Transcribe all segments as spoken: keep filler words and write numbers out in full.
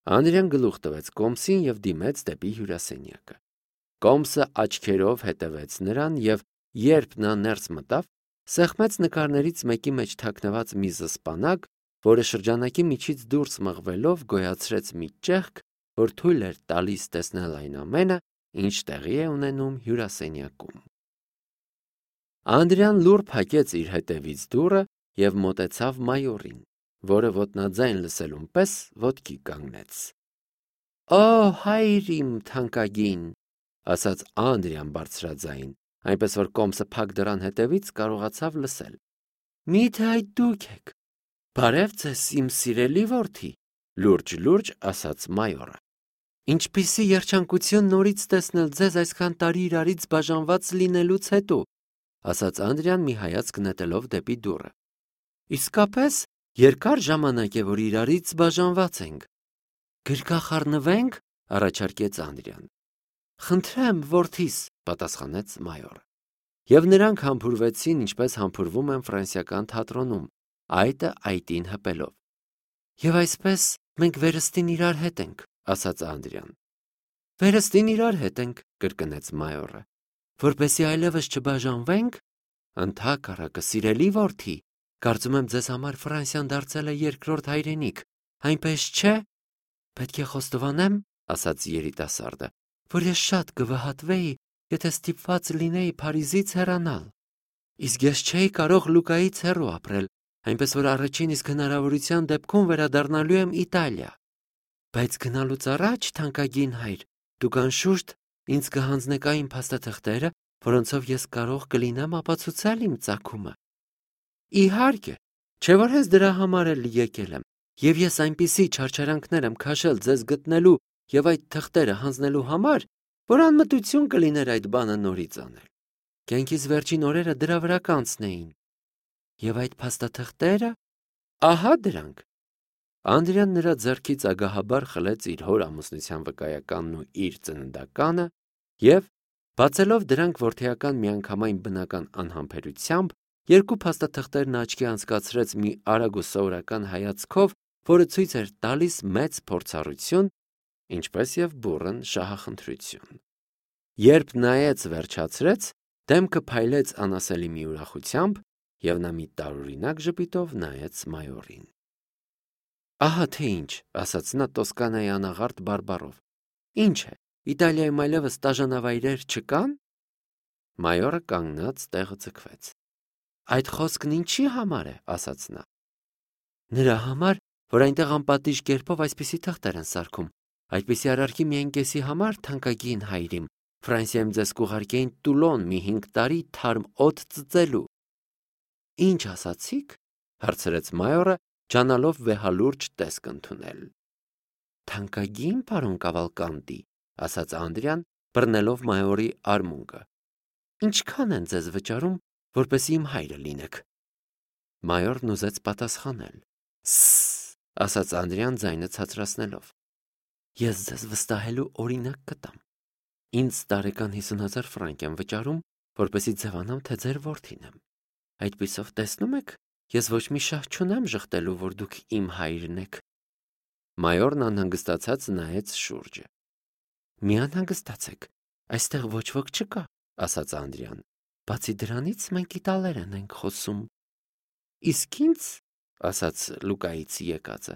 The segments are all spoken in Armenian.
Անդրեան գլուխ տվեց Կոմսին եւ դիմեց դեպի հյուրասենյակը։ Կոմսը աչքերով հետևեց նրան եւ երբ նա ներս մտավ, սեղմեց նկարներից մեկի մեջ թաքնված մի զսպանակ, որը շրջանակի միջից դուրս մղվելով գոյացրեց մի ճեղք, որ թույլ էր տալիս տեսնել այն ամենը, ինչ տեղի է ունենում հյուրասենյակում։ Անդրեան լուռ փակեց իր հետևից դուռը եւ մոտեցավ մայորին, որը ոտնաձայն լսելուն պես ոտքի կանգնեց։ «Օ, հայր իմ թանկագին», ասաց Անդրեան բարձրաձայն, այնպես որ Կոմսը փակ դռան հետևից կարողացավ լսել։ «Մի՞թե այդ դուք եք։ Բարև ձեզ, իմ սիրելի որդի», լուրջ-լուրջ ասաց մայորը։ «Ինչպիսի երջանկություն նորից տեսնել ձեզ այսքան տարի իրարից բաժանված լինելուց հետո», ասաց Անդրեան մի հայացք նետելով դեպի դուռը։ «Իսկապես երկար ժամանակ է, որ իրարից բաժանված ենք։ Գրկախառնվե՞նք», առաջարկեց Անդրեան։ «Խնդրեմ, որդիս», պատասխանեց մայորը։ Եվ նրանք համբուրվեցին, ինչպես համբուրվում են ֆրանսիական թատրոնում, այտը այտին հպելով։ «Եվ այսպես մենք վերստին իրար հետ ենք», ասաց Անդրեան։ «Վերստին իրար հետ ենք», կրկնեց մայորը։ «Որպեսզի այլևս չբաժանվենք»։ «Ընդհակառակը, սիրելի որդի, կարծում եմ ձեզ համար Ֆրանսիան դարձել է երկրորդ հայրենիք, այնպես չէ»։ «Պետք է խոստովանեմ», ասաց երիտասարդը, «որ ես շատ կվհատվեի, եթե ստիպված լինեի Փարիզից հեռանալ։ Իսկ ես չէի կարող Լուկայից հեռու ապրել, այնպես որ առաջին իսկ հնարավորության դեպքում վերադառնալու եմ Իտալիա։ Բայց գնալուց առաջ, թանկագին հայր, դուք անշուշտ ինձ կհանձնեք այն փաստաթղթերը, որոնցով ես կարող կլինեմ ապացուցել իմ ծագումը»։ «Իհարկե, չէ՞ որ հենց դրա համար էլ եկել եմ, եւ ես այնպիսի չարչարանքներ եմ քաշել ձեզ գտնելու եւ այդ թղթերը հանձնելու համար, որ անմտություն կլիներ այդ բանը նորից անել։ Կյանքիս վերջին օրերը դրա վրա կանցնեին։ Եվ այդ փաստաթղթերը, ահա դրանք»։ Անդրեան նրա ձեռքից ագահաբար խլեց իր հոր ամուսնության վկայականն ու իր ծննդականը եւ, բացելով դրանք որդեական միանգամայն բնական անհամբերությամբ, երկու փաստաթղթերն աչքի անցկացրեց մի արագ ու սովորական հայացքով, որը ցույց էր տալիս մեծ փորձառություն, ինչպես եւ բուռն շահախնդրություն։ Երբ նայեց վերջացրեց, դեմքը փայլեց անասելի մի ուրախությամբ, եւ նա մի տարօրինակ ժպիտով նայեց մայորին։ «Ահա թե ինչ», ասաց նա Տոսկանայի անաղարտ բարբառով։ «Ինչ է, Իտալիայում այլևս տաժանավայրեր չկան»։ Մայորը կանգնած տեղը ձգվեց։ «Այդ խոսքն ինչի համար է», ասաց նա։ «Նրա համար, որ այնտեղ անպատիժ կերպով այսպիսի թղթեր են սարքում, այդպիսի արարքի միայն կեսի համար, թանկագին հայրիմ, Ֆրանսիայում ձեզ կուղարկեին Տուլոն մի հինգ տարի թարմ օդ ծծելու»։ «Ինչ ասացիք», հարցրեց մայորը, ջանալով վեհալուրջ տեսք ընդունել։ «Թանկագին պարոն Կավալկանտի», ասաց Անդրեան, բռնելով մայորի արմունկը։ «Ինչքան են ձեզ վճարում, որպեսզի իմ հայրը լինեք»։ Մայորն ուզեց պատասխանել։ «Սսս», ասաց Անդրեան ձայնը ցածրացնելով։ «Ես ձեզ վստահելու օրինակ կտամ։ Ինձ տարեկան հիսուն հազար ֆրանկ են վճարում, որպեսզի ձևանամ, թե ձեր որդին եմ։ Այդպիսով տեսնում եք, ես ոչ մի շահ չունեմ ժխտելու, որ դուք իմ հայրն եք»։ Մայորն անհանգստացած նայեց շուրջը։ «Մի անհանգստացեք, այստեղ ոչ ոք չկա», ասաց Անդրեան։ «Բացի դրանից մենք իտալերեն ենք խոսում»։ «Իսկ ինձ», ասաց Լուկայից եկածը,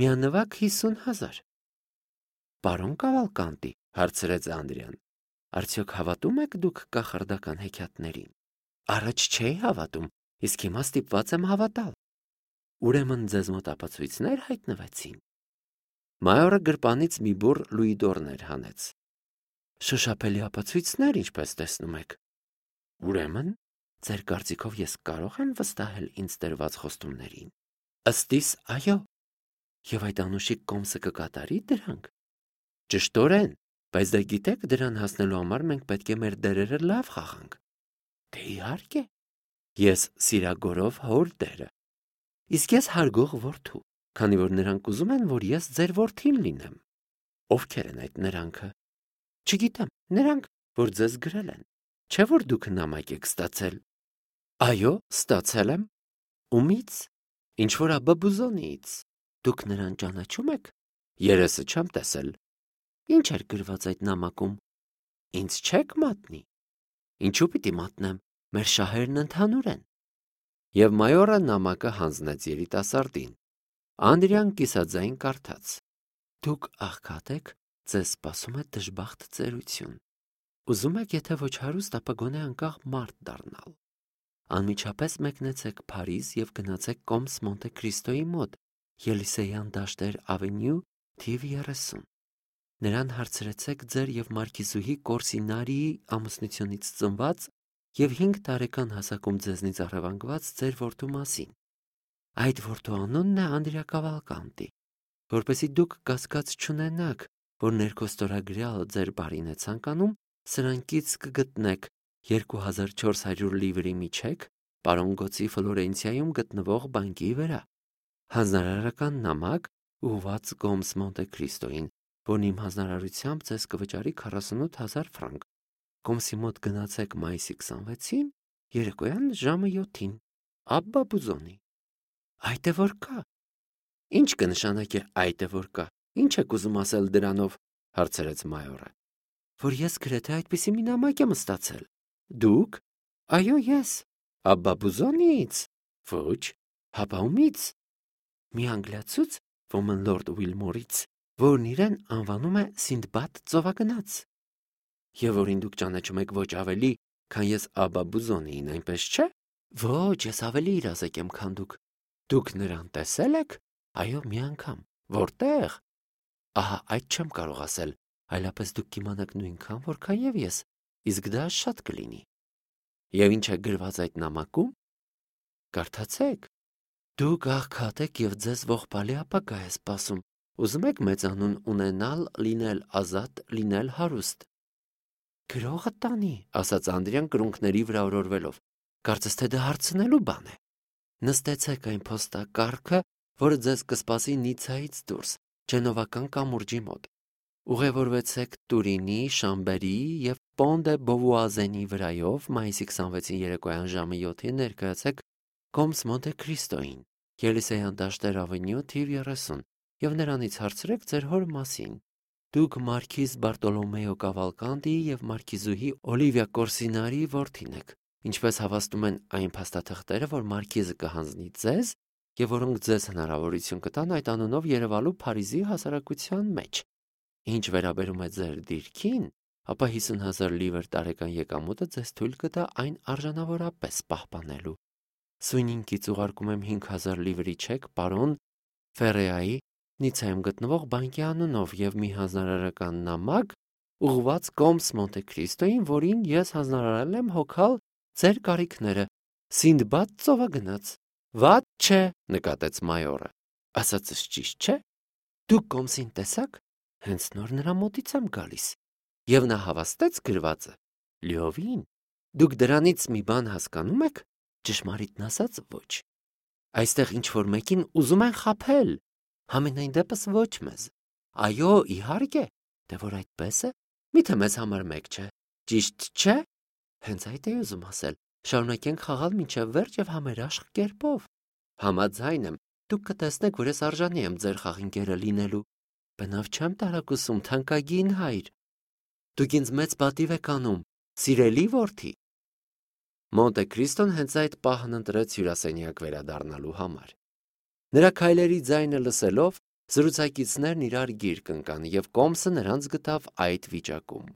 «միանվագ հիսուն հազար»։ «Պարոն Կավալկանտի», հարցրեց Անդրեան, «արդյոք հավատում եք դուք կախարդական հեքիաթներին»։ «Առաջ չէի հավատում, իսկ հիմա ստիպված եմ հավատալ»։ «Ուրեմն ձեզ մոտ ապացույցներ հայտնվեցին»։ Մայորը գրպանից մի բուռ լուիդորներ հանեց։ «Շոշափելի ապացույցներ, ինչպես տեսնում եք»։ «Ուրեմն, ձեր կարծիքով ես կարող եմ վստահել ինձ տրված խոստումներին»։ «Ըստիս, այո»։ «Եվ այդ անուշիկ Կոմսը կկատարի դրանք»։ «Ճշտորեն, բայց դե գիտեք, դրան հասնելու համար մենք պետք է մեր դերերը լավ խաղանք»։ «Դե իհարկե, ես սիրագորով հոր դերը, իսկ ես հարգող որդու, քանի որ նրանք ուզում են, որ ես ձեր որդին լինեմ»։ «Ովքեր են այդ նրանքը»։ «Չգիտեմ, նրանք, որ ձեզ գրել են։ Չէ՞ որ դուք նամակ եք ստացել»։ «Այո, ստացել եմ»։ «Ումի՞ց»։ «Ինչ որ Աբբա Բուզոնիից»։ «Դուք նրան ճանաչում եք»։ երեսը չեմ տեսել։ Ինչ էր գրված այդ նամակում։ Ինձ չեք մատնի։ Ինչու պիտի մատնեմ, մեր շահերն ընդհանուր են։ Եվ մայորը նամակը հանձնեց երիտասարդին։ Անդրեան կիսաձայն կարդաց. Դուք աղքատ եք, ձեզ սպասում է դժբախտ ծերություն։ Ուզում եք, եթե ոչ հարուստ, ապա գոնե անկախ մարդ դառնալ։ Անմիջապես մեկնեցեք Փարիզ եւ գնացեք Կոմս Մոնտե Քրիստոյի մոտ, Ելիսեյան դաշտեր ավենյու, թիվ երեսուն։ Նրան հարցրեցեք ձեր եւ Մարկիզուհի Կորսինարիի ամուսնությունից ծնված եւ հինգ տարեկան հասակում ձեզնից առևանգված ձեր որդու մասին։ Այդ որդու անունն է Անդրեա Կավալկանտի, որպեսզի դուք կասկած չունենաք, որ ներքոստորագրյալը ձեր բարին է ցանկանում, սրանքից կգտնեք երկու հազար չորս հարյուր լիվրի միջեք պարոն Գոցի Ֆլորենցիայում գտնվող բանկի վրա։ Հանձնարարական նամակ ուղված Կոմս Մոնտե Քրիստոյին, որն իմ հանձնարարությամբ ձեզ կվճարի քառասունութ հազար ֆրանկ։ Կոմսի մոտ գնացեք մայիսի քսանվեցին, երեկոյան ժամը յոթին, Աբբա Բուզոնի։ Այդ է որ կա։ Ինչ կնշանակի այդ է որ կա։ Ինչ եք ուզում ասել դրանով, հարցրեց մայորը։ Որ ես գրեթե այդպիսի մի նամակ եմ ստացել։ Դուք։ Այո, ես։ Աբբա Բուզոնից։ Ոչ, հապա ումից։ Մի անգլիացուց, ոմն լորդ Ուիլմորից, որն իրեն անվանում է Սինդբադ ծովագնաց։ Եվ որին դուք ճանաչում եք ոչ ավելի, քան ես Աբբա Բուզոնիին, այնպես չէ։ Ոչ, ես ավելի իրազեկ եմ, քան դուք։ Դուք նրան տեսել եք։ Այո, մի անգամ։ Որտեղ։ Ահա այդ չեմ կարող ասել, այլապես դուք կիմանաք նույնքան, որքան եւ ես, իսկ դա շատ կլինի։ Եվ ինչ է գրված այդ նամակում։ Կարդացեք։ Դուք աղքատ եք եւ ձեզ ողբալի ապագա է սպասում։ Ուզում եք մեծանուն ունենալ, լինել ազատ, լինել հարուստ։ Գրողը տանի, ասաց Անդրեան կրունկների վրա օրորվելով։ Կարծես թե դա հարցնելու բան է։ Նստեցեք այն փոստակառքը, որը ձեզ կսպասի Նիցայից դուրս, Ջենովական կամուրջի մոտ։ Ուղևորվեցեք Տուրինի, Շամբերի եւ Պոն դե Բովուազենի վրայով մայիսի քսանվեցին երեկոյան ժամը յոթին ներկայացեք Կոմս Մոնտե Քրիստոյին, Ելիսեյան դաշտեր ավենյու, թիվ երեսուն, եւ նրանից հարցրեք ձեր հոր մասին։ Դուք Մարքիզ Բարտոլոմեո Կավալկանտիի եւ Մարկիզուհի Օլիվիա Կորսինարիի որդին եք, ինչպես հավաստում են այն փաստաթղթերը, որ Մարկիզը կհանձնի ձեզ եւ որոնք ձեզ հնարավորություն կտան այդ անունով երևալու Փարիզի հասարակության մեջ։ Ինչ վերաբերում է ձեր դիրքին, ապա հիսուն հազար լիվր տարեկան եկամուտը ձեզ թույլ կտա այն արժանավորապես պահպանելու։ Սույնինքից ուղարկում եմ հինգ հազար լիվրի չեք պարոն Ֆերեայի Նիցայում գտնվող բանկի անունով եւ մի հանձնարարական նամակ ուղղված Կոմս Մոնտե Քրիստոյին, որին ես հանձնարարել եմ հոգալ ձեր կարիքները։ Սինդբադ ծովագնաց։ Վատ չէ, նկատեց մայորը։ Ասածս ճիշտ չէ։ Դուք Կոմսին տեսաք։ Հենց նոր նրա մոտից եմ գալիս։ Եվ նա հավաստեց գրվածը։ Լիովին։ Դուք դրանից մի բան հասկանում եք։ Ճշմարիտն ասած ոչ։ Այստեղ ինչ որ մեկին ուզում են խաբել։ Համենայն դեպս ոչ մեզ։ Այո, իհարկե, դե որ այդպես է, միթե մեզ համար մեկ չէ։ Ճիշտ չէ։ Հենց այդ է ուզում ասել։ Շարունակենք խաղալ մինչև վերջ եւ համերաշխ կերպով։ Համաձայն եմ, դուք կտեսնեք, որ ես արժանի եմ ձեր խաղինկերը լինելու։ Բնավ չեմ տարակուսում, թանկագին հայր։ Դուք ինձ մեծ պատիվ եք անում, սիրելի որդի։ Մոնտե Քրիստոն հենց այդ պահն ընտրեց հյուրասենյակ վերադառնալու համար։ Նրա քայլերի ձայնը լսելով, զրուցակիցներն իրար գիրկ ընկան եւ Կոմսը նրանց գտավ այդ վիճակում։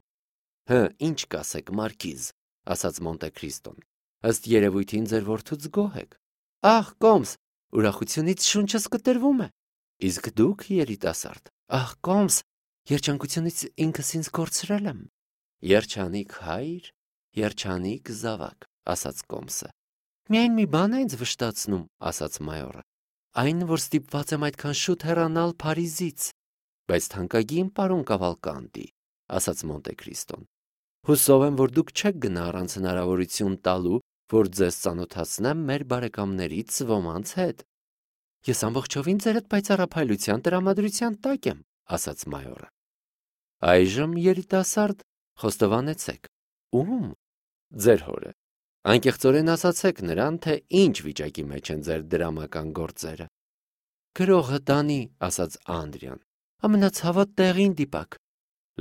Հը, ինչ կասեք, Մարկիզ, ասաց Մոնտե Քրիստոն։ Ըստ երևույթին ձեր որդուց գոհ եք։ Ահ, Կոմս, ուրախությունից շունչս կտրվում է։ Իսկ դուք, երիտասարդ, ահ, Կոմս, երջանկությունից ինքս ինձ կորցրել եմ։ Երջանիկ հայր, երջանիկ զավակ, ասաց Կոմսը։ Միայն մի բան է ինձ վշտացնում, ասաց մայորը։ Այն, որ ստիպված եմ այդքան շուտ հեռանալ Փարիզից։ Բայց թանկագին պարոն Կավալկանտի, ասաց Մոնտե Քրիստոն։ Հուսով եմ, որ դուք չեք գնա առանց հնարավորություն տալու, որ ձեզ ծանոթացնեմ մեր բարեկամներից ոմանց հետ։ Ես ամբողջովին ձերդ պայծառափայլության տրամադրության տակ եմ, ասաց մայորը։ Այժմ երիտասարդ խոստովանեցեք։ Ում։ Ձեր հորը։ Անկեղծորեն ասացեք նրան, թե ինչ վիճակի մեջ են ձեր դրամական գործերը։ Գրողը տանի, ասաց Անդրեան։ ամենացավոտ տեղին դիպակ։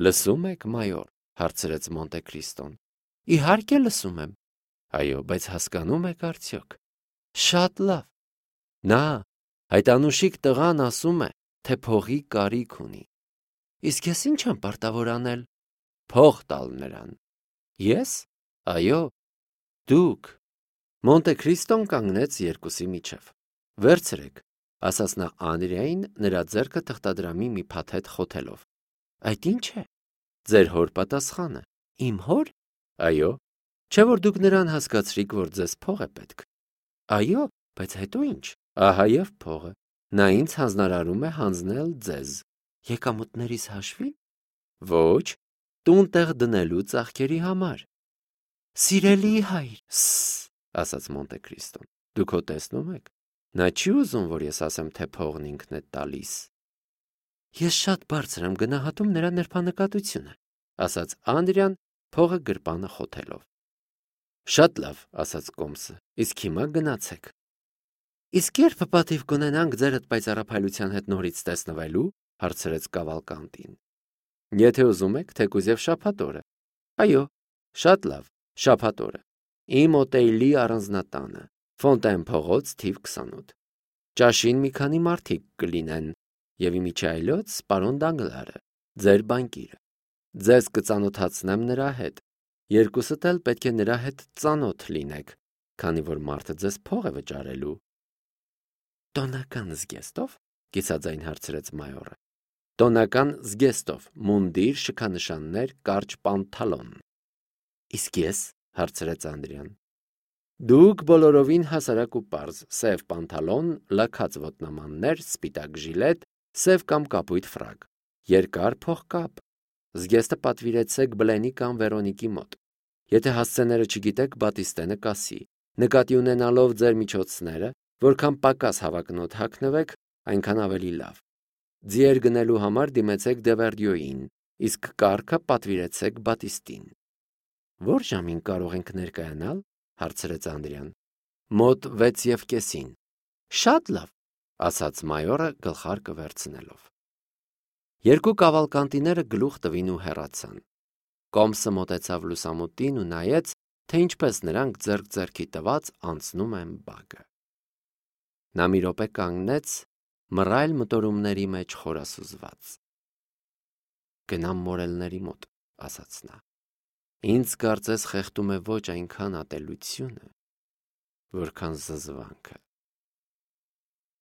Լսում եք, մայոր, հարցրեց Մոնտե Քրիստոն։ Իհարկե լսում եմ։ Այո, բայց հասկանում եք արդյոք։ Շատ լավ։ Նա, այդ անուշիկ տղան ասում է, թե փողի կարիք ունի։ Իսկ ես ինչ եմ պարտավոր անել։ Փող տալ նրան։ Ես։ Այո, դուք։ Մոնտե Քրիստոն կանգնեց երկուսի միջև։ Վերցրեք, ասաց նա Անդրեային նրա ձեռքը թղթադրամի մի փաթեթ խոթելով։ Այդ ի՞նչ է։ Ձեր հոր պատասխանը։ Իմ հոր։ Այո, չէ՞ որ դուք նրան հասկացրիք, որ ձեզ փող է պետք։ Այո, բայց հետո ինչ։ Ահա եւ փողը։ Նա ինձ հանձնարարում է հանձնել ձեզ։ Եկամուտներիս հաշվի՞ն։ Ոչ, տուն տեղ դնելու ծախքերի համար։ Սիրելի հայր, սս, ասաց Մոնտե Քրիստոն։ Դուք հո տեսնում եք։ Նա չի ուզում, որ ես ասեմ, թե փողն ինքն է տալիս։ Ես շատ բարձր եմ գնահատում նրա նրբանկատությունը, ասաց Անդրեան, փողը գրպանը խոթելով։ Շատ լավ, ասաց Կոմսը, իսկ հիմա գնացեք։ Իսկ երբ պատիվ կունենանք ձերդ պայծառափայլության հետ նորից տեսնվելու, հարցրեց Կավալկանտին։ Եթե ուզում եք, թեկուզ եւ շաբաթ օրը։ Այո, շատ լավ, շաբաթ օրը։ Իմ օտեյլի առանձնատանը, Ֆոնտեն փողոց թիվ քսանութ։ Ճաշին մի քանի մարդիկ կլինեն, եւ իմիջայլոց պարոն Դանգլարը, ձեր բանկիրը։ Ձեզ կծանոթացնեմ նրա հետ։ Երկուսդ էլ պետք է նրա հետ ծանոթ լինեք, քանի որ մարդը ձեզ փող է վճարելու։ Տոնական զգեստով, կիսաձայն հարցրեց մայորը։ Տոնական զգեստով, մունդիր, շքանշաններ, կարճ պանթալոն։ Իսկ ես, հարցրեց Անդրեան։ Դուք բոլորովին հասարակ ու պարզ, սև պանթալոն, լաքած ոտնամաններ, սպիտակ ժիլետ, սև կամ կապույտ ֆրակ, երկար փողկապ։ Զգեստը պատվիրեցեք Բլենի կամ Վերոնիկի մոտ։ Եթե հասցեները չգիտեք, Բատիստենը կասի։ Նկատի ունենալով ձեր միջոցները, որքան պակաս հավակնոտ հագնվեք, այնքան ավելի լավ։ Ձիեր գնելու համար դիմեցեք Դևերդյոյին, իսկ կառքը պատվիրեցեք Բատիստին։ Որ ժամին կարող ենք ներկայանալ, հարցրեց Անդրեան։ Մոտ վեց եւ կեսին։ Շատ լավ, ասաց մայորը գլխարկը վերցնելով։ Երկու կավալկանտիները գլուխ տվին ու հեռացան։ Կոմսը մոտեցավ լուսամուտին ու նայեց, թե ինչպես նրանք ձեռք ձեռքի տված անցնում են բակը։ Նա մի րոպե կանգնեց, մռայլ մտորումների մեջ խորասուզված։ Գնամ մորելների մոտ, ասաց նա։ Ինձ կարծես խեղդում է ոչ այնքան ատելությունը, որքան զզվանքը։